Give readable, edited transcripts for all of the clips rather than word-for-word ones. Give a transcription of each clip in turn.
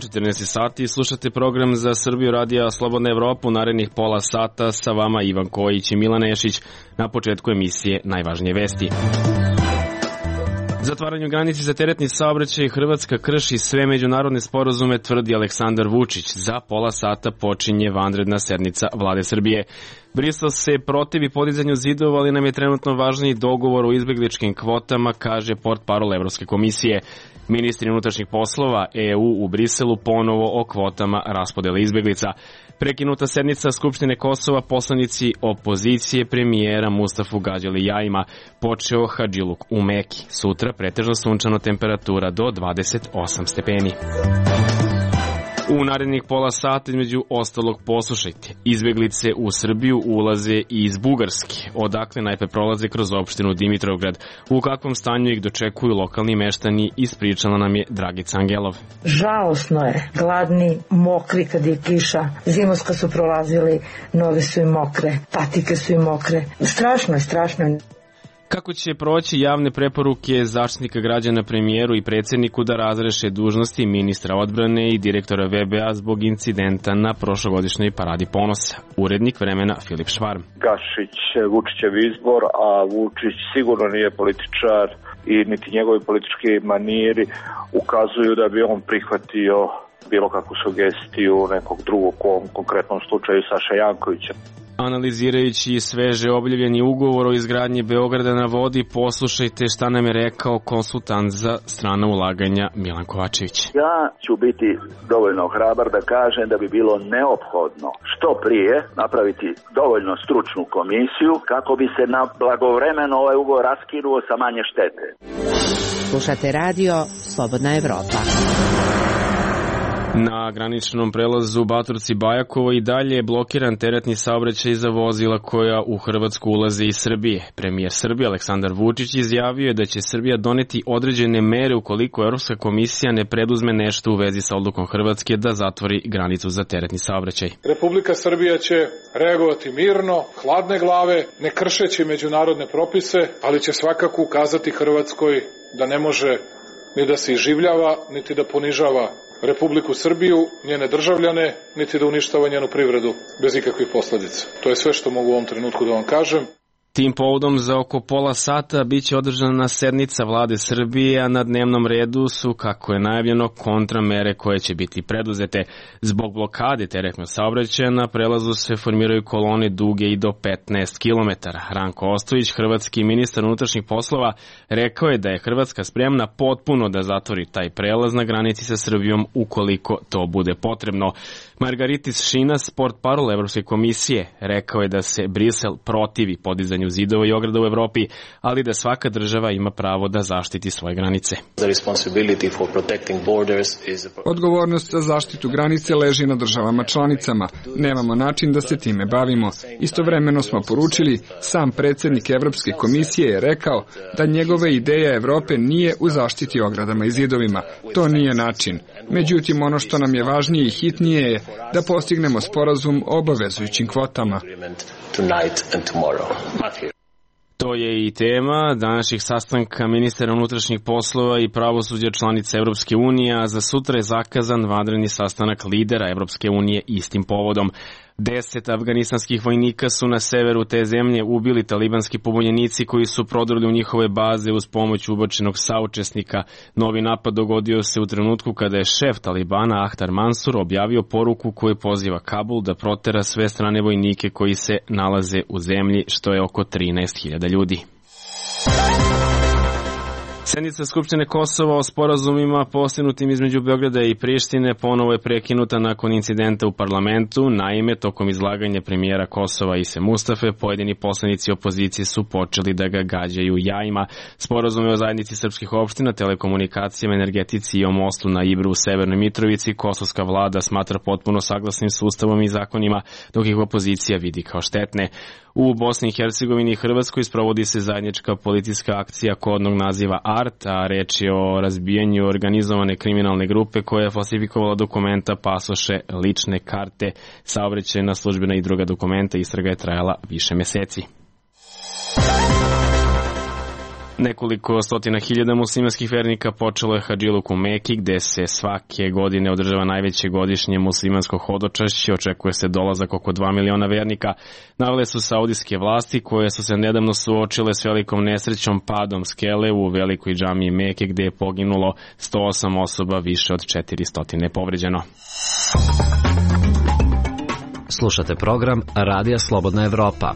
14 sati i slušate program za Srbiju radija Slobodna Evropa. U narednih pola sata sa vama Ivan Kojić i Milan Nešić. Na početku emisije najvažnije vesti. Zatvaranju granici za teretni saobraćaj Hrvatska krši sve međunarodne sporazume, tvrdi Aleksandar Vučić. Za pola sata počinje vanredna sednica Vlade Srbije. Brisel se protivi podizanju zidova, ali nam je trenutno važniji dogovor o izbegličkim kvotama, kaže portparol Evropske komisije. Ministri unutrašnjih poslova EU u Briselu ponovo o kvotama raspodele izbeglica. Prekinuta sednica Skupštine Kosova, poslanici opozicije premijera Mustafu gađali jajima. Počeo hadžiluk u Meki. Sutra pretežno sunčano, temperatura do 28 stepeni. U narednih pola sata između ostalog poslušajte. Izbeglice u Srbiju ulaze iz Bugarske, odakle najpre prolaze kroz opštinu Dimitrovgrad. U kakvom stanju ih dočekuju lokalni meštani, ispričala nam je Dragica Angelov. Žalosno je, gladni, mokri kad je kiša, zimovska su prolazili, noge su im mokre, patike su im mokre. Strašno je. Kako će proći javne preporuke Zaštitnika građana premijeru i predsjedniku da razreše dužnosti ministra odbrane i direktora VBA zbog incidenta na prošlogodišnjoj paradi ponosa? Urednik Vremena Filip Švarm. Gašić Vučićev izbor, a Vučić sigurno nije političar i niti njegovi politički maniri ukazuju da bi on prihvatio bilo kakvu sugestiju nekog drugog, u konkretnom slučaju Saša Jankovića. Analizirajući sveže objavljeni ugovor o izgradnji Beograda na vodi, poslušajte šta nam je rekao konsultant za strana ulaganja Milan Kovačević. Ja ću biti dovoljno hrabar da kažem da bi bilo neophodno što prije napraviti dovoljno stručnu komisiju kako bi se na blagovremeno ovaj ugovor raskinuo sa manje štete. Slušate radio Slobodna Evropa. Na graničnom prelazu Baturci-Bajakovo i dalje je blokiran teretni saobraćaj za vozila koja u Hrvatsku ulaze iz Srbije. Premijer Srbije Aleksandar Vučić izjavio je da će Srbija doneti određene mere ukoliko Evropska komisija ne preduzme nešto u vezi sa odlukom Hrvatske da zatvori granicu za teretni saobraćaj. Republika Srbija će reagovati mirno, hladne glave, ne kršeći međunarodne propise, ali će svakako ukazati Hrvatskoj da ne može ni da se iživljava, niti da ponižava Republiku Srbiju, njene državljane, niti da uništava njenu privredu bez ikakvih posledica. To je sve što mogu u ovom trenutku da vam kažem. Tim povodom za oko pola sata biće održana sednica Vlade Srbije, a na dnevnom redu su, kako je najavljeno, kontramere koje će biti preduzete. Zbog blokade teretnog saobraćaja na prelazu se formiraju kolone duge i do 15 km. Ranko Ostojić, hrvatski ministar unutrašnjih poslova, rekao je da je Hrvatska spremna potpuno da zatvori taj prelaz na granici sa Srbijom ukoliko to bude potrebno. Margaritis Šinas, portparol Evropske komisije, rekao je da se Brisel protivi podizanju zidova i ograda u Evropi, ali da svaka država ima pravo da zaštiti svoje granice. Odgovornost za zaštitu granice leži na državama članicama. Nemamo način da se time bavimo. Istovremeno smo poručili, sam predsjednik Evropske komisije je rekao da njegove ideja Evrope nije u zaštiti ogradama i zidovima. To nije način. Međutim, ono što nam je važnije i hitnije je da postignemo sporazum o obavezujućim kvotama. To je i tema današnjih sastanka ministara unutrašnjih poslova i pravosuđa članica Evropske unije, a za sutra je zakazan vanredni sastanak lidera Evropske unije istim povodom. 10 afganistanskih vojnika su na severu te zemlje ubili talibanski pobunjenici koji su prodrli u njihove baze uz pomoć ubačenog saučesnika. Novi napad dogodio se u trenutku kada je šef Talibana Ahtar Mansur objavio poruku koju poziva Kabul da protera sve strane vojnike koji se nalaze u zemlji, što je oko 13.000 ljudi. Sednica Skupštine Kosova o sporazumima postignutim između Beograda i Prištine ponovo je prekinuta nakon incidenta u parlamentu. Naime, tokom izlaganja premijera Kosova Ise Mustafe, pojedini poslanici opozicije su počeli da ga gađaju jajima. Sporazume o zajednici srpskih opština, telekomunikacijama, energetici i o mostu na Ibru u Severnoj Mitrovici kosovska vlada smatra potpuno saglasnim s ustavom i zakonima, dok ih opozicija vidi kao štetne. U Bosni i Hercegovini i Hrvatskoj sprovodi se zajednička policijska akcija kodnog naziva ART, a reč je o razbijanju organizovane kriminalne grupe koja je falsifikovala dokumenta, pasoše, lične karte, saobraćajna, službena i druga dokumenta. Istraga je trajala više meseci. Nekoliko stotina hiljada muslimanskih vernika počelo je hadžiluk u Meki, gde se svake godine održava najveće godišnje muslimansko hodočašće. Očekuje se dolazak oko 2 miliona vernika. Navele su saudijske vlasti koje su se nedavno suočile s velikom nesrećom padom skele u velikoj džamiji Meke, gde je poginulo 108 osoba, više od 400 je povređeno. Slušate program Radija Slobodna Evropa.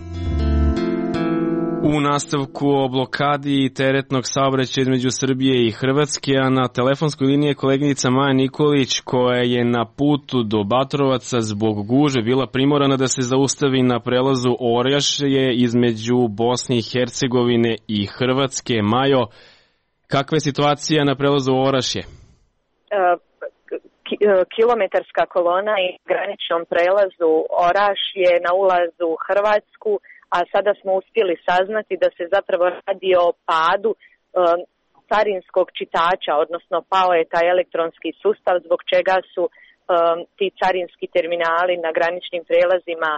U nastavku o blokadi teretnog saobraćaja između Srbije i Hrvatske, a na telefonskoj liniji je koleginica Maja Nikolić, koja je na putu do Batrovaca zbog gužve bila primorana da se zaustavi na prelazu Orašje između Bosne i Hercegovine i Hrvatske. Majo, kakva je situacija na prelazu Orašje? Kilometarska kolona i graničnom prelazu Orašje na ulazu u Hrvatsku, a sada smo uspjeli saznati da se zapravo radi o padu carinskog čitača, odnosno pao je taj elektronski sustav zbog čega su ti carinski terminali na graničnim prelazima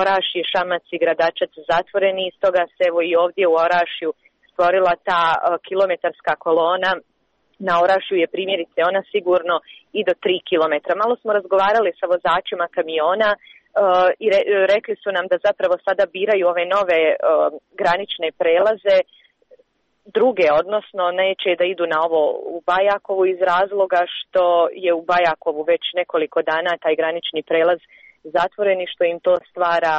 Orašje, Šamac i Gradačac zatvoreni. I stoga se evo i ovdje u Orašju stvorila ta kilometarska kolona. Na Orašju je primjerice ona sigurno i do 3 kilometra. Malo smo razgovarali sa vozačima kamiona i rekli su nam da zapravo sada biraju ove nove granične prelaze, druge, odnosno neće da idu na ovo u Bajakovu iz razloga što je u Bajakovu već nekoliko dana taj granični prelaz zatvoren i što im to stvara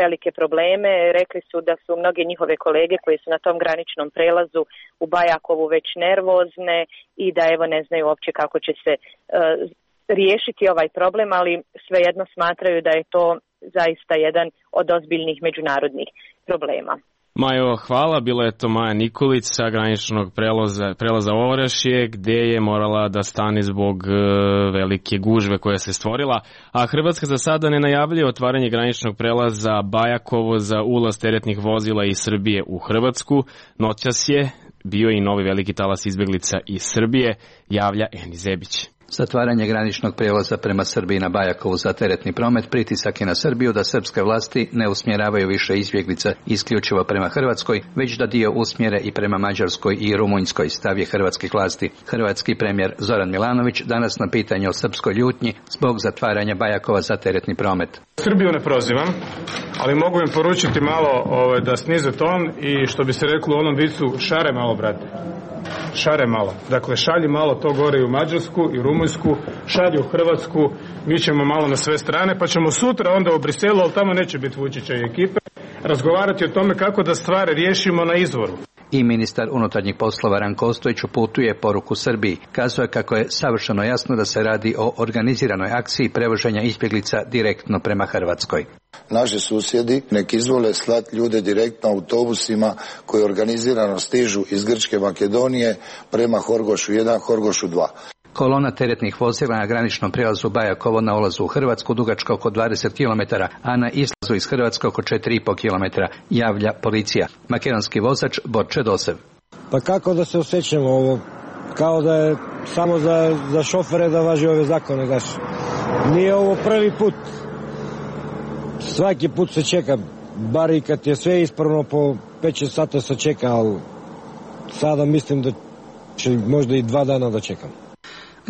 velike probleme. Rekli su da su mnoge njihove kolege koji su na tom graničnom prelazu u Bajakovu već nervozne i da evo ne znaju uopće kako će se riješiti ovaj problem, ali svejedno smatraju da je to zaista jedan od ozbiljnih međunarodnih problema. Majo, hvala. Bila je to Maja Nikolić sa graničnog prelaza Orašje, gde je morala da stane zbog velike gužve koja se stvorila. A Hrvatska za sada ne najavljuje otvaranje graničnog prelaza Bajakovo za ulaz teretnih vozila iz Srbije u Hrvatsku. Noćas je bio i novi veliki talas izbeglica iz Srbije, javlja Eni Zebić. Zatvaranje graničnog prijelaza prema Srbiji na Bajakovu za teretni promet pritisak je na Srbiju da srpske vlasti ne usmjeravaju više izbjeglica isključivo prema Hrvatskoj, već da dio usmjere i prema Mađarskoj i Rumunjskoj, stav je hrvatskih vlasti. Hrvatski premijer Zoran Milanović danas na pitanje o srpskoj ljutnji zbog zatvaranja Bajakova za teretni promet. Srbiju ne prozivam, ali mogu im poručiti malo da snize ton i što bi se reklo u onom vicu, šare malo, brate. Šare malo. Dakle, šalji malo to gore i u Mađarsku i Rumunjsku, šalji u Hrvatsku, mi ćemo malo na sve strane, pa ćemo sutra onda u Briselu, ali tamo neće biti Vučića i ekipe, razgovarati o tome kako da stvari riješimo na izvoru. I ministar unutarnjih poslova Ranko Ostojić uputuje poruku Srbiji. Kazao je kako je savršeno jasno da se radi o organiziranoj akciji prevoženja izbjeglica direktno prema Hrvatskoj. Naši susjedi nek izvole slati ljude direktno autobusima koji organizirano stižu iz Grčke Makedonije prema Horgošu 1, Horgošu 2. Kolona teretnih vozila na graničnom prijelazu Bajakovo na ulazu u Hrvatsku dugačka oko 20 km, a na izlazu iz Hrvatske oko 4,5 km, javlja policija. Makedonski vozač Borče Dosev. Pa kako da se osjećamo ovo? Kao da je samo za šofere da važi ove zakone, daš. Nije ovo prvi put. Svaki put se čeka, bar i kad je sve ispravno po 5-6 sata se čeka, ali sada mislim da će možda i 2 dana da čekam.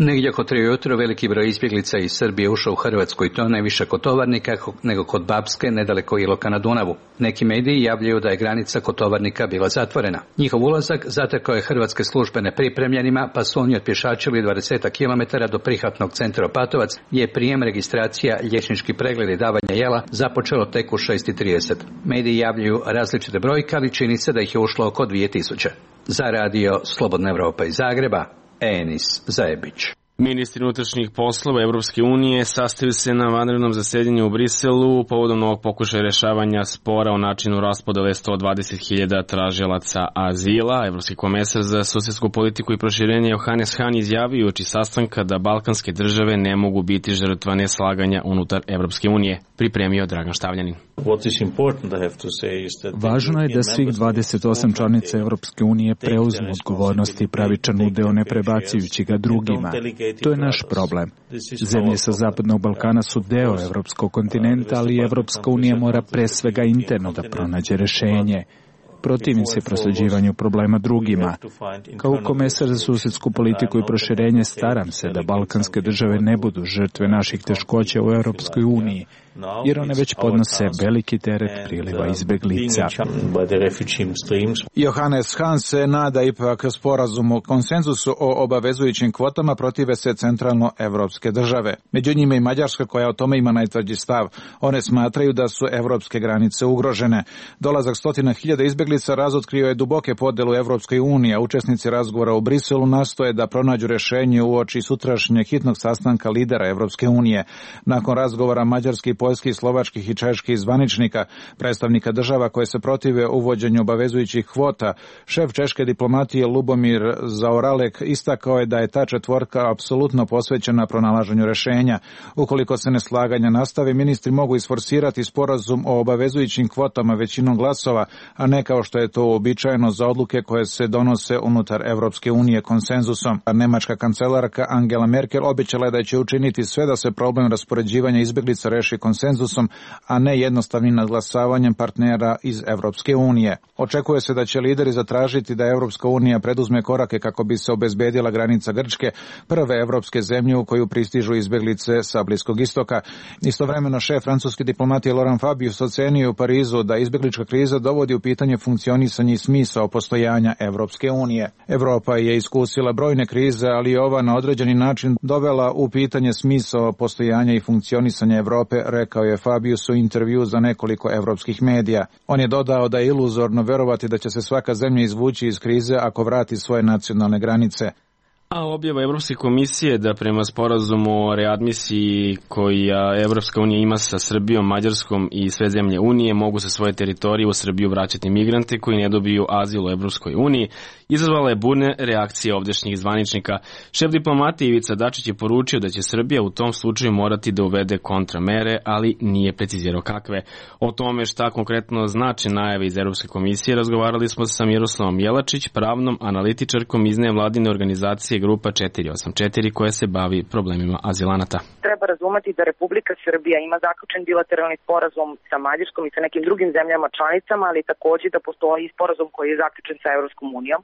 Negdje oko 3 ujutro veliki broj izbjeglica iz Srbije ušao u Hrvatsku i to ne više kod Tovarnika nego kod Bapske, nedaleko Iloka na Dunavu. Neki mediji javljaju da je granica kod Tovarnika bila zatvorena. Njihov ulazak zatekao je hrvatske službe nepripremljenima, pa su oni otpješačili 20 km do prihvatnog centra Opatovac, gdje je prijem, registracija, liječnički pregled i davanje jela započelo tek u 6:30. Mediji javljaju različite brojke, ali čini se da ih je ušlo oko 2000. Za radio Slobodna Evropa iz Zagreba, Enis Zajebić. Ministri unutrašnjih poslova Evropske unije sastaju se na vanrednom zasedanju u Briselu povodom novog pokušaja rješavanja spora o načinu raspodele 120.000 tražilaca azila. Evropski komesar za susjedsku politiku i proširenje Johannes Hahn izjavio uoči sastanka da balkanske države ne mogu biti žrtva neslaganja unutar Evropske unije, pripremio Dragan Štavljanin. Važno je da svih 28 članica Evropske unije preuzmu odgovornost i pravičan udeo ne prebacujući ga drugima. To je naš problem. Zemlje sa Zapadnog Balkana su deo evropskog kontinenta, ali Evropska unija mora pre svega interno da pronađe rešenje. Protivim se prosleđivanju problema drugima. Kao komesar za susedsku politiku i proširenje staram se da balkanske države ne budu žrtve naših teškoća u Europskoj uniji, jer one već podnose veliki teret priliva izbeglica. Johannes Hahn se nada ipak sporazumu o konsenzusu o obavezujućim kvotama protive se centralno-evropske države. Među njima i Mađarska koja o tome ima najtvrđi stav. One smatraju da su evropske granice ugrožene. Dolazak 100.000 izbeglica razotkrio je duboke podele u Evropskoj uniji, a učesnici razgovora u Briselu nastoje da pronađu rešenje uoči sutrašnjeg hitnog sastanka lidera Evropske unije. Nakon razgovora mađarskih, poljskih, slovačkih i čeških zvaničnika, predstavnika država koje se protive uvođenju obavezujućih kvota, šef češke diplomatije Lubomir Zaoralek istakao je da je ta četvorka apsolutno posvećena pronalaženju rešenja. Ukoliko se neslaganja nastave, ministri mogu isforsirati sporazum o obavezujućim kvotama većinom glasova, a ne kao što je to uobičajeno za odluke koje se donose unutar Evropske unije konsenzusom. Nemačka kancelarka Angela Merkel obećala je da će učiniti sve da se problem raspoređivanja izbeglica reši konsenzusom, a ne jednostavnim nadglasavanjem partnera iz Evropske unije. Očekuje se da će lideri zatražiti da Evropska unija preduzme korake kako bi se obezbedila granica Grčke, prve evropske zemlje u koju pristižu izbeglice sa Bliskog istoka. Istovremeno šef francuske diplomatije Laurent Fabius ocenio u Parizu da izbeglička kriza dovodi u pitanje funkcionisanje i smisao postojanja Evropske unije. Evropa je iskusila brojne krize, ali je ova na određeni način dovela u pitanje smisao postojanja i funkcionisanja Evrope, rekao je Fabius u intervju za nekoliko evropskih medija. On je dodao da je iluzorno verovati da će se svaka zemlja izvući iz krize ako vrati svoje nacionalne granice. A objava Evropske komisije da prema sporazumu o readmisiji koji Evropska unija ima sa Srbijom, Mađarskom i sve zemlje Unije mogu sa svoje teritorije u Srbiju vraćati migrante koji ne dobiju azil u Evropskoj uniji, izazvala je burne reakcije ovdešnjih zvaničnika. Šef diplomatije Ivica Dačić je poručio da će Srbija u tom slučaju morati da uvede kontramere, ali nije precizirao kakve. O tome šta konkretno znači najave iz Evropske komisije razgovarali smo sa Miroslavom Jelačić, pravnom analitičarkom iz nevladine organizacije Grupa 484 koja se bavi problemima azilanata. Treba razumeti da Republika Srbija ima zaključen bilateralni sporazum sa Mađarskom i sa nekim drugim zemljama članicama, ali takođe da postoji sporazum koji je zaključen sa Evropskom unijom.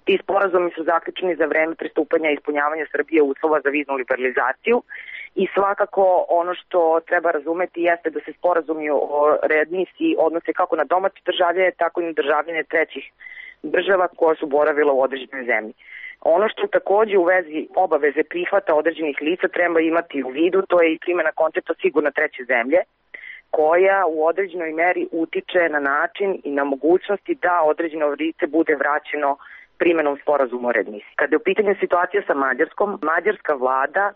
Ti sporazumi su zaključeni za vreme pristupanja i ispunjavanja Srbije uslova za viznu liberalizaciju i svakako ono što treba razumeti jeste da se sporazumi o readmisiji odnose kako na domaće državljane, tako i na državljane trećih država koja su boravila u određenoj zemlji. Ono što takođe u vezi obaveze prihvata određenih lica treba imati u vidu, to je i primjena koncepta sigurna treće zemlje, koja u određenoj meri utiče na način i na mogućnosti da određeno lice bude vraćeno primjenom sporazuma o readmisiji. Kada je u pitanju situacija sa Mađarskom, mađarska vlada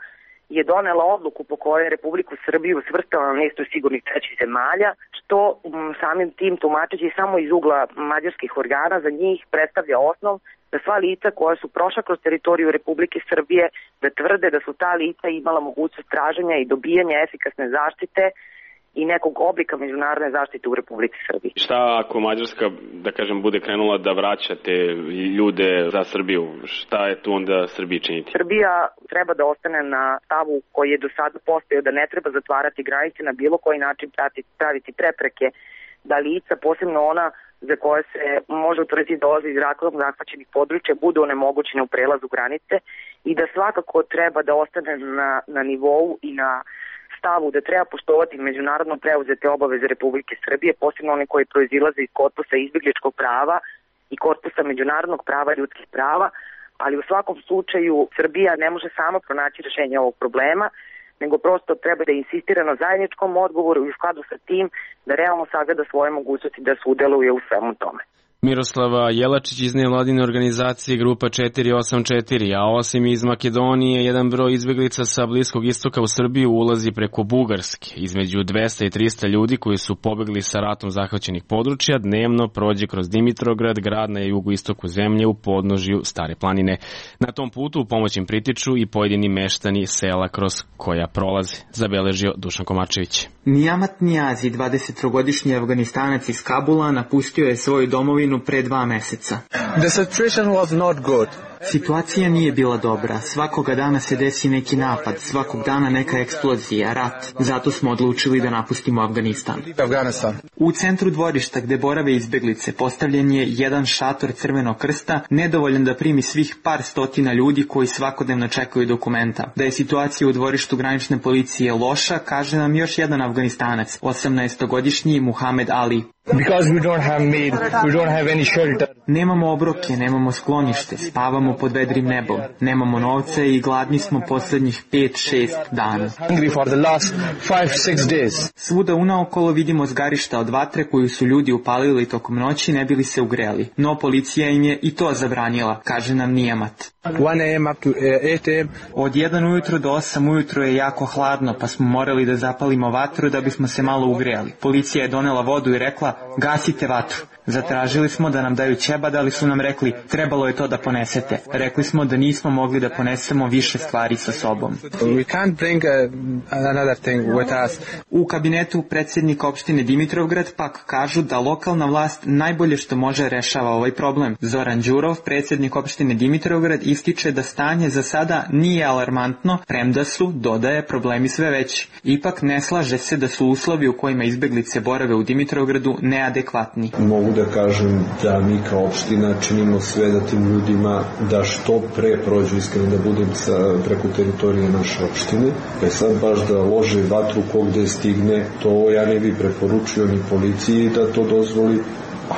je donela odluku po kojoj Republiku Srbiju svrstala na listu sigurnih trećih zemalja, što samim tim tumačeći samo iz ugla mađarskih organa za njih predstavlja osnov da sva lica koja su prošla kroz teritoriju Republike Srbije da tvrde da su ta lica imala mogućnost traženja i dobijanja efikasne zaštite i nekog oblika međunarodne zaštite u Republici Srbiji. Šta ako Mađarska, da kažem, bude krenula da vraća te ljude za Srbiju? Šta je tu onda Srbiji činiti? Srbija treba da ostane na stavu koji je do sada postojao, da ne treba zatvarati granice na bilo koji način, praviti prepreke da lica, posebno ona za koje se može utvrditi dolaze iz ratom zahvaćenih područja, budu onemogućene u prelazu granice i da svakako treba da ostane na nivou i na stavu da treba poštovati međunarodno preuzete obaveze Republike Srbije, posebno one koje proizilaze iz korpusa izbjegličkog prava i korpusa međunarodnog prava i ljudskih prava, ali u svakom slučaju Srbija ne može sama pronaći rešenje ovog problema, nego prosto treba da insistira na zajedničkom odgovoru i u skladu sa tim da realno sagleda svoje mogućnosti da sudeluje u svemu tome. Miroslava Jelačić iz nevladine organizacije Grupa 484, a osim iz Makedonije, jedan broj izbeglica sa Bliskog istoka u Srbiju ulazi preko Bugarske. Između 200 i 300 ljudi koji su pobegli sa ratom zahvaćenih područja dnevno prođe kroz Dimitrograd, grad na jugoistoku zemlje u podnožju Stare planine. Na tom putu u pomoć im pritiču i pojedini meštani sela kroz koja prolaze, zabeležio Dušan Komačević. Nijamat Nijazi, 23-godišnji Afganistanac iz Kabula, napustio je svoju domovinu pre 2 meseca. The situation was not good. Situacija nije bila dobra. Svakoga dana se desi neki napad, svakog dana neka eksplozija, rat. Zato smo odlučili da napustimo Afganistan. U centru dvorišta gde borave izbeglice postavljen je jedan šator Crvenog krsta, nedovoljan da primi svih par stotina ljudi koji svakodnevno čekaju dokumenta. Da je situacija u dvorištu granične policije loša, kaže nam još jedan Afganistanac, 18-godišnji Muhamed Ali. Nemamo obroke, nemamo sklonište, spavamo pod vedrim nebom, nemamo novca i gladni smo poslednjih 5-6 dana. Svuda unaokolo vidimo zgarišta od vatre koju su ljudi upalili tokom noći ne bili se ugreli, no policija im je i to zabranila, kaže nam Nijamat. Od 1 ujutro do 8 ujutro je jako hladno, pa smo morali da zapalimo vatru da bismo se malo ugreli. Policija je donela vodu i rekla, gasite vatru. Zatražili smo da nam daju ćebad, ali su nam rekli, trebalo je to da ponesete. Rekli smo da nismo mogli da ponesemo više stvari sa sobom. U kabinetu predsjednika opštine Dimitrovgrad pak kažu da lokalna vlast najbolje što može rešava ovaj problem. Zoran Đurov, predsjednik opštine Dimitrovgrad, ističe da stanje za sada nije alarmantno, premda su, dodaje, problemi sve veći. Ipak ne slaže se da su uslovi u kojima izbeglice borave u Dimitrovgradu neadekvatni. Mogu da kažem da mi kao opština činimo sve da tim ljudima da što pre prođu, iskreno da budem preko teritorije naše opštine. Sad baš da lože vatru kogde stigne, to ja ne bi preporučio ni policiji da to dozvoli,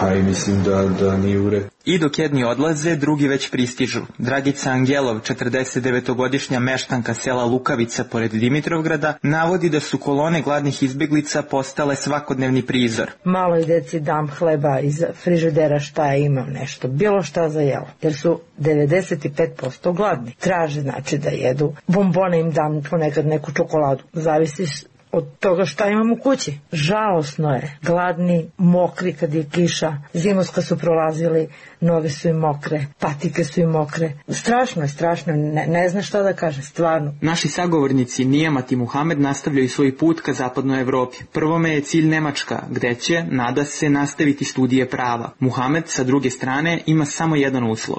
a i mislim da nije u redu. I dok jedni odlaze, drugi već pristižu. Dragica Angelov, 49-godišnja meštanka sela Lukavica pored Dimitrovgrada, navodi da su kolone gladnih izbeglica postale svakodnevni prizor. Maloj deci dam hleba iz frižidera šta imam nešto, bilo šta za jelo, jer su 95% gladni. Traže znači da jedu. Bombone im dam, ponekad neku čokoladu. Zavisi od toga šta imam u kući. Žalosno je. Gladni, mokri kad je kiša. Zimus kad su prolazili, noge su im mokre, patike su im mokre. Strašno je, strašno. Ne zna šta da kaže, stvarno. Naši sagovornici Nijamat i Muhamed nastavljaju svoj put ka zapadnoj Evropi. Prvome je cilj Nemačka, gde će, nada se, nastaviti studije prava. Muhamed, sa druge strane, ima samo jedan uslov.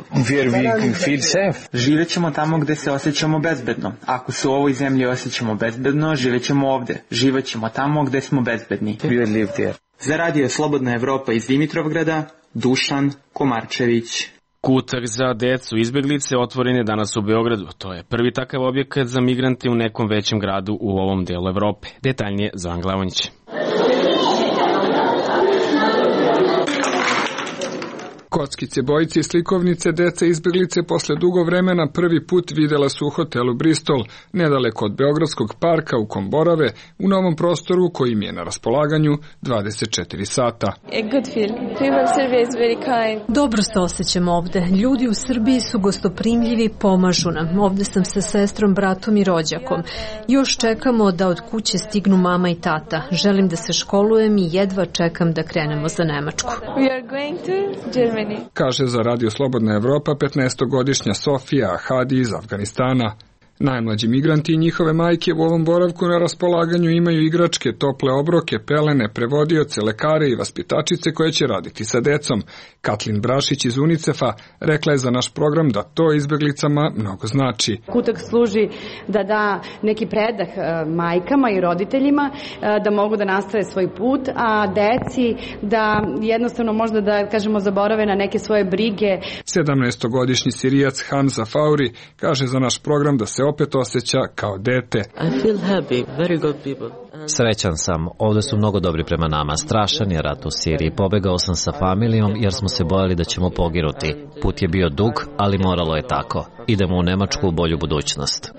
Živećemo tamo gde se osjećamo bezbedno. Ako se u ovoj zemlji osjećamo bezbedno, živećemo ovde. Živećemo tamo gde smo bezbedni. Za radio Slobodna Evropa iz Dimitrovgrada, Dušan Komarčević. Kutak za decu izbeglice otvoren je danas u Beogradu. To je prvi takav objekat za migrante u nekom većem gradu u ovom delu Evrope. Detaljnije Zoran Glavonjić. Kockice, bojice i slikovnice deca izbeglice posle dugo vremena prvi put videla su u hotelu Bristol, nedaleko od Beogradskog parka u kom borave, u novom prostoru koji im je na raspolaganju 24 sata. Dobro se osjećam ovde. Ljudi u Srbiji su gostoprimljivi, pomažu nam. Ovde sam sa sestrom, bratom i rođakom. Još čekamo da od kuće stignu mama i tata. Želim da se školujem i jedva čekam da krenemo za Nemačku. Kaže za Radio Slobodna Evropa 15-godišnja Sofija Ahadi iz Afganistana. Najmlađi migranti i njihove majke u ovom boravku na raspolaganju imaju igračke, tople obroke, pelene, prevodioce, lekare i vaspitačice koje će raditi sa decom. Katlin Brašić iz UNICEF-a rekla je za naš program da to izbeglicama mnogo znači. Kutak služi da da neki predah majkama i roditeljima da mogu da nastave svoj put, a deci da jednostavno možda da kažemo zaborave na neke svoje brige. 17-godišnji Sirijac Hamza Fauri kaže za naš program da se opet osjeća kao dete. Srećan sam, ovde su mnogo dobri prema nama. Strašan je rat u Siriji. Pobegao sam sa familijom jer smo se bojali da ćemo poginuti. Put je bio dug, ali moralo je tako. Idemo u Nemačku u bolju budućnost.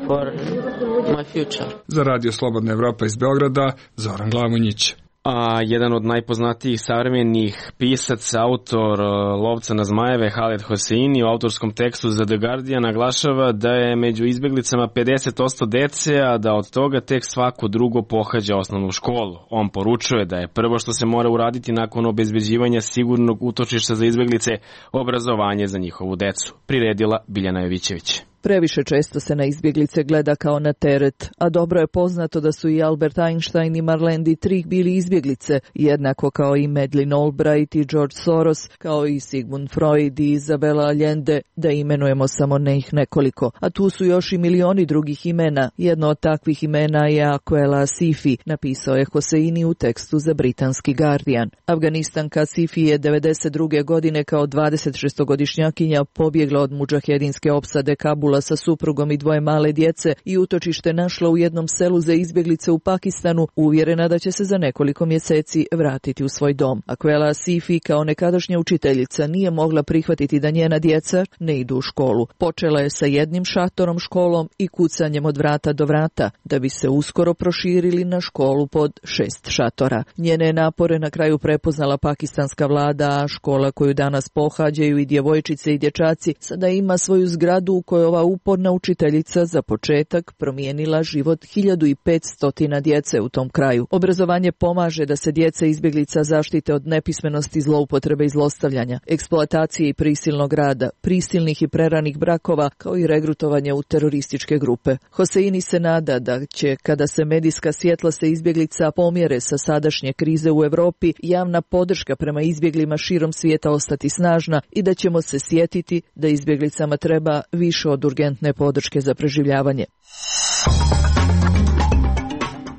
Za Radio Slobodna Evropa iz Beograda, Zoran Glavonjić. A jedan od najpoznatijih savremenih pisaca, autor Lovca na zmajeve, Haled Hosseini, u autorskom tekstu za The Guardian naglašava da je među izbeglicama 50% dece, a da od toga tek svako drugo pohađa osnovnu školu. On poručuje da je prvo što se mora uraditi nakon obezbeđivanja sigurnog utočišta za izbeglice obrazovanje za njihovu decu. Priredila Biljana Jovićević. Previše često se na izbjeglice gleda kao na teret, a dobro je poznato da su i Albert Einstein i Marlene Dietrich bili izbjeglice, jednako kao i Madeleine Albright i George Soros, kao i Sigmund Freud i Isabella Allende, da imenujemo samo njih nekoliko. A tu su još i milioni drugih imena. Jedno od takvih imena je Aquela Asifi, napisao je Hosseini u tekstu za britanski Guardian. Afganistanka Asifi je 92. godine kao 26-godišnjakinja pobjegla od mudžahedinske opsade Kabula sa suprugom i dvoje male djece i utočište našla u jednom selu za izbjeglice u Pakistanu, uvjerena da će se za nekoliko mjeseci vratiti u svoj dom. Aquela Asifi kao nekadašnja učiteljica nije mogla prihvatiti da njena djeca ne idu u školu. Počela je sa jednim šatorom školom i kucanjem od vrata do vrata, da bi se uskoro proširili na školu pod 6 šatora. Njene napore na kraju prepoznala pakistanska vlada, a škola koju danas pohađaju i djevojčice i dječaci sada ima svoju zgradu u kojoj ova uporna učiteljica za početak promijenila život 1500 djece u tom kraju. Obrazovanje pomaže da se djeca izbjeglica zaštite od nepismenosti, zloupotrebe i zlostavljanja, eksploatacije i prisilnog rada, prisilnih i preranih brakova, kao i regrutovanje u terorističke grupe. Hosseini se nada da će, kada se medijska svjetla se izbjeglica pomjere sa sadašnje krize u Europi, javna podrška prema izbjeglima širom svijeta ostati snažna i da ćemo se sjetiti da izbjeglicama treba više od urgentne podrške za preživljavanje.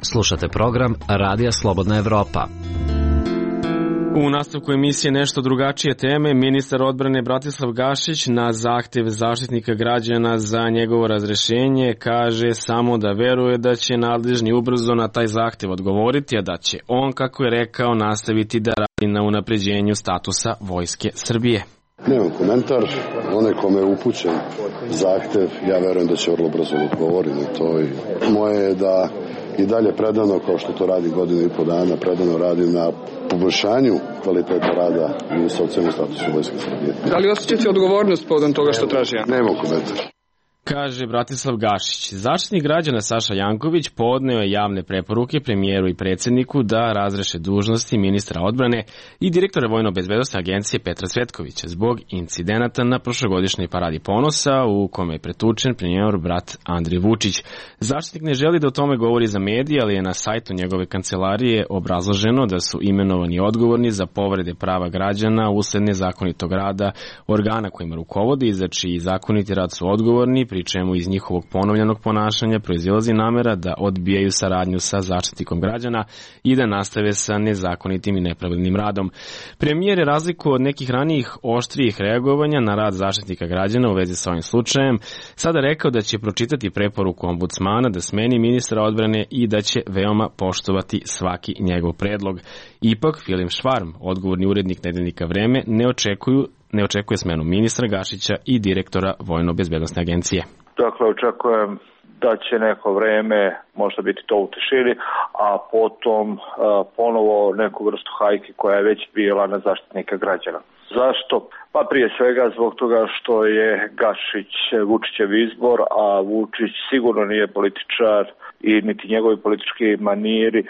Slušate program Radija Slobodna Evropa. U nastavku emisije nešto drugačije teme, ministar odbrane Bratislav Gašić na zahtjev zaštitnika građana za njegovo razrešenje kaže samo da veruje da će nadležni ubrzo na taj zahtjev odgovoriti, a da će on, kako je rekao, nastaviti da radi na unapređenju statusa Vojske Srbije. Nemam komentar, onaj kome je upućen zahtjev, ja verujem da će vrlo brzo odgovoriti na to i moje je da i dalje predano, kao što to radi godinu i po dana, predano radi na poboljšanju kvaliteta rada i socijalnog statusa Vojske Srbije. Da li osjećate odgovornost povodom toga što traži? Nemam komentar. Kaže Bratislav Gašić. Zaštitnik građana Saša Janković podneo je javne preporuke premijeru i predsjedniku da razreše dužnosti ministra odbrane i direktora Vojno-bezbednosne agencije Petra Cvetkovića zbog incidenata na prošlogodišnjoj paradi ponosa u kome je pretučen premijerov brat Andrej Vučić. Zaštitnik ne želi da o tome govori za medije, ali je na sajtu njegove kancelarije obrazloženo da su imenovani odgovorni za povrede prava građana usled nezakonitog rada organa kojima rukovodi i za čiji zakoniti rad su odgovorni, pri čemu iz njihovog ponovljenog ponašanja proizilazi namera da odbijaju saradnju sa zaštitnikom građana i da nastave sa nezakonitim i nepravilnim radom. Premijer je razliku od nekih ranijih oštrijih reagovanja na rad zaštitnika građana u vezi sa ovim slučajem sada rekao da će pročitati preporuku ombudsmana da smeni ministra odbrane i da će veoma poštovati svaki njegov predlog. Ipak, Filip Švarm, odgovorni urednik nedeljnika Vreme, ne očekuje smenu ministra Gašića i direktora Vojno-bezbednosne agencije. Dakle, očekujem da će neko vreme možda biti to u tišini, a potom ponovo neku vrstu hajke koja je već bila na zaštitnika građana. Zašto? Pa prije svega zbog toga što je Gašić Vučićev izbor, a Vučić sigurno nije političar i niti njegovi politički maniri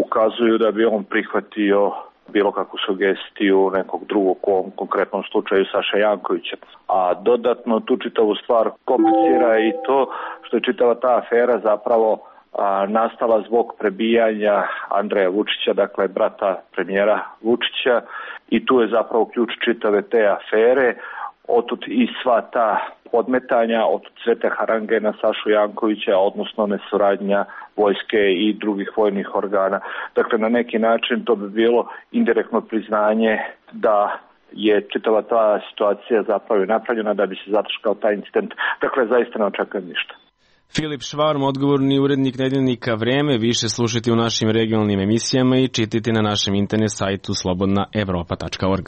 ukazuju da bi on prihvatio bilo kakvu sugestiju nekog drugog, u ovom konkretnom slučaju Saša Jankovića. A dodatno tu čitavu stvar komplicira i to što je čitava ta afera zapravo nastala zbog prebijanja Andreja Vučića, dakle brata premijera Vučića, i tu je zapravo ključ čitave te afere. Otud i sva ta podmetanja, otud sve te harange na Sašu Jankovića, odnosno nesuradnja vojske i drugih vojnih organa. Dakle, na neki način to bi bilo indirektno priznanje da je čitava ta situacija zapravo napravljena da bi se zataškao taj incident. Dakle, zaista ne očekujem ništa. Filip Švarm, odgovorni urednik nedeljnika Vreme, više slušajte u našim regionalnim emisijama i čitite na našem internet sajtu slobodnaevropa.org.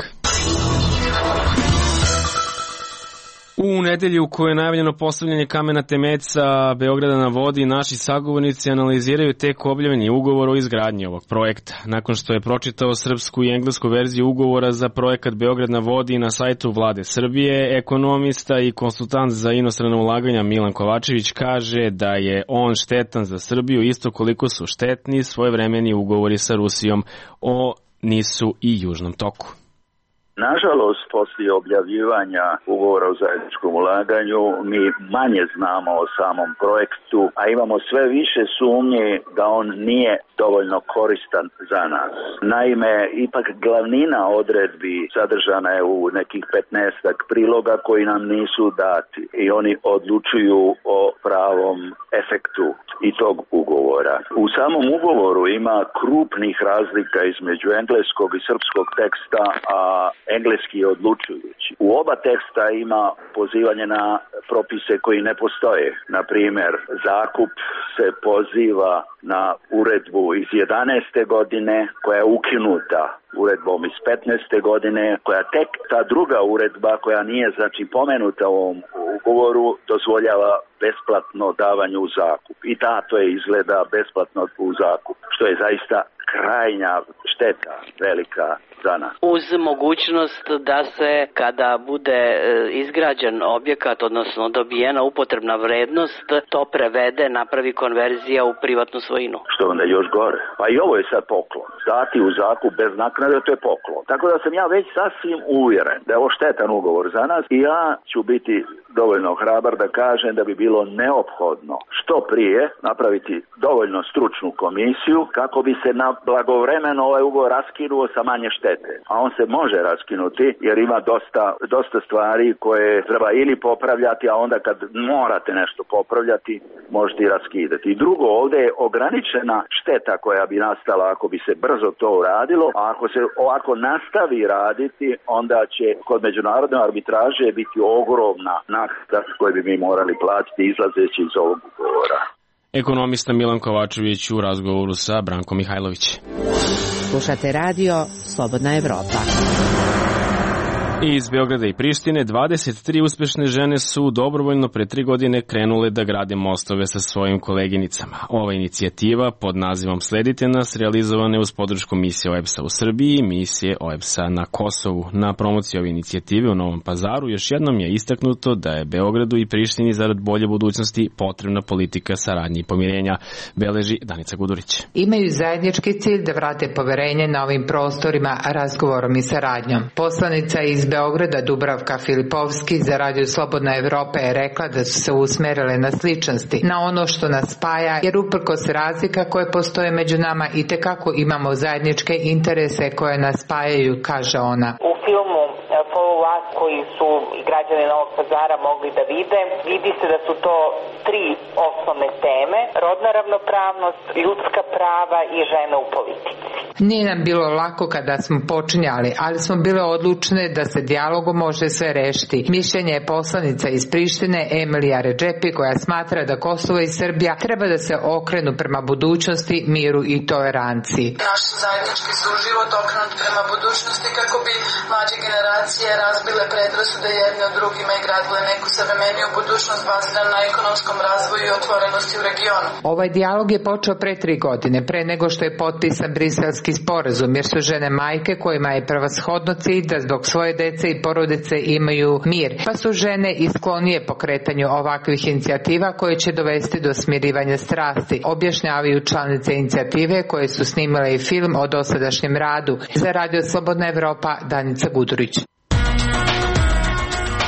U nedelju u kojoj je najavljeno postavljanje kamena temeljca Beograda na vodi, naši sagovornici analiziraju tek objavljeni ugovor o izgradnji ovog projekta. Nakon što je pročitao srpsku i englesku verziju ugovora za projekat Beograd na vodi na sajtu Vlade Srbije, ekonomista i konsultant za inostrana ulaganja Milan Kovačević kaže da je on štetan za Srbiju isto koliko su štetni svojevremeni ugovori sa Rusijom o Nisu i Južnom toku. Nažalost, poslije objavljivanja ugovora o zajedničkom ulaganju mi manje znamo o samom projektu, a imamo sve više sumnje da on nije dovoljno koristan za nas. Naime, ipak glavnina odredbi sadržana je u nekih 15 priloga koji nam nisu dati i oni odlučuju o pravom efektu i tog ugovora. U samom ugovoru ima krupnih razlika između engleskog i srpskog teksta, a engleski je odlučujući. U oba teksta ima pozivanje na propise koji ne postoje. Na primjer, zakup se poziva na uredbu iz 11. godine koja je ukinuta uredbom iz 15. godine, koja tek ta druga uredba koja nije znači pomenuta u ovom ugovoru dozvoljava besplatno davanje u zakup. I to je izgleda besplatno u zakup, što je zaista krajnja šteta velika za nas. Uz mogućnost da se kada bude izgrađen objekat, odnosno dobijena upotrebna vrednost, to prevede, napravi konverzija u privatnu svojinu. Što onda još gore. Pa i ovo je sad poklon. Dati u zakup bez naknade, to je poklon. Tako da sam ja već sasvim uvjeren da je ovo štetan ugovor za nas i ja ću biti dovoljno hrabar da kažem da bi bilo neophodno što prije napraviti dovoljno stručnu komisiju kako bi se na blagovremeno ovaj ugovor raskinuo sa manje štete. A on se može raskinuti jer ima dosta stvari koje treba ili popravljati, a onda kad morate nešto popravljati možete i raskidati. I drugo, ovdje je ograničena šteta koja bi nastala ako bi se brzo to uradilo, a ako se ovako nastavi raditi, onda će kod međunarodne arbitraže biti ogromna naknada koju bi mi morali platiti izlazeći iz ovog ugovora. Ekonomista Milan Kovačević u razgovoru sa Brankom Mihajlović. Slušate radio Slobodna Evropa. Iz Beograda i Prištine 23 uspešne žene su dobrovoljno pre 3 godine krenule da grade mostove sa svojim koleginicama. Ova inicijativa pod nazivom Sledite nas realizovana je uz podršku misije OEBS-a u Srbiji i misije OEBS-a na Kosovu. Na promociji ove inicijative u Novom Pazaru još jednom je istaknuto da je Beogradu i Prištini zarad bolje budućnosti potrebna politika saradnje i pomirenja, beleži Danica Gudurić. Imaju zajednički cilj da vrate poverenje na ovim prostorima razgovorom i saradnjom. Poslanica iz Beograda Dubravka Filipovski za Radio Slobodna Evropa je rekla da su se usmerile na sličnosti, na ono što nas spaja, jer uprkos razlika koje postoje među nama itekako imamo zajedničke interese koje nas spajaju, kaže ona. U filmu Follow Us koji su građani Novog Pazara mogli da vide, vidi se da su to 3 osnovne teme: rodna ravnopravnost, ljudska prava i žene u politici. Nije nam bilo lako kada smo počinjali, ali smo bile odlučne da se dijalogom može sve rešiti. Mišljenje je poslanica iz Prištine Emilija Redžepi koja smatra da Kosovo i Srbija treba da se okrenu prema budućnosti, miru i toleranciji. Naš zajednički suživot okrenut prema budućnosti kako bi mlađe generacije razbile predrasude jedne od drugima i gradile neku savremeniju budućnost baziranu na ekonomskom razvoju i otvorenosti u regionu. Ovaj dijalog je počeo pre 3 godine, pre nego što je potpisan Briselski sporazum, jer su žene majke kojima je prevashodno cilj da zbog svoje dece i porodice imaju mir, pa su žene i sklonije pokretanju ovakvih inicijativa koje će dovesti do smirivanja strasti, objašnjavaju članice inicijative koje su snimile i film o dosadašnjem radu. Za Radio Slobodna Evropa, Danica Gudurić.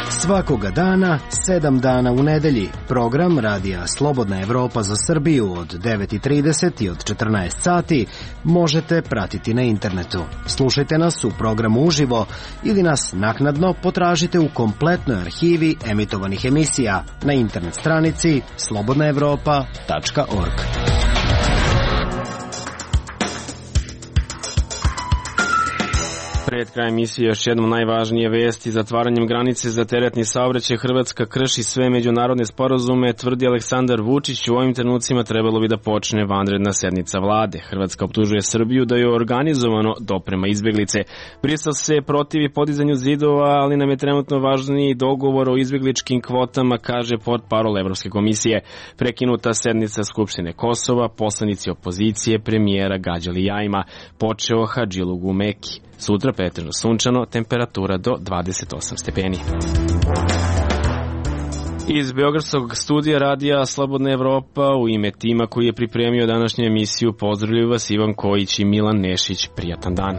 Svakoga dana, 7 dana u nedelji. Program Radija Slobodna Evropa za Srbiju od 9:30 i od 14 sati možete pratiti na internetu. Slušajte nas u programu uživo ili nas naknadno potražite u kompletnoj arhivi emitovanih emisija na internet stranici slobodnaevropa.org. Pred krajem emisije još jednom najvažnije vesti. Zatvaranjem granice za teretni saobraćaj Hrvatska krši sve međunarodne sporazume, tvrdi Aleksandar Vučić. U ovim trenucima trebalo bi da počne vanredna sednica vlade. Hrvatska optužuje Srbiju da je organizovano doprema izbeglice. Brisel se protivi podizanju zidova, ali nam je trenutno važniji dogovor o izbegličkim kvotama, kaže portparol Evropske komisije. Prekinuta sednica Skupštine Kosova, poslanici opozicije premijera gađali jajima. Počeo Hadžilug u Meki. Sutra pretežno sunčano, temperatura do 28 stepeni. Iz Beogradskog studija Radija Slobodna Evropa u ime tima koji je pripremio današnju emisiju pozdravljaju vas Ivan Kojić i Milan Nešić. Prijatan dan.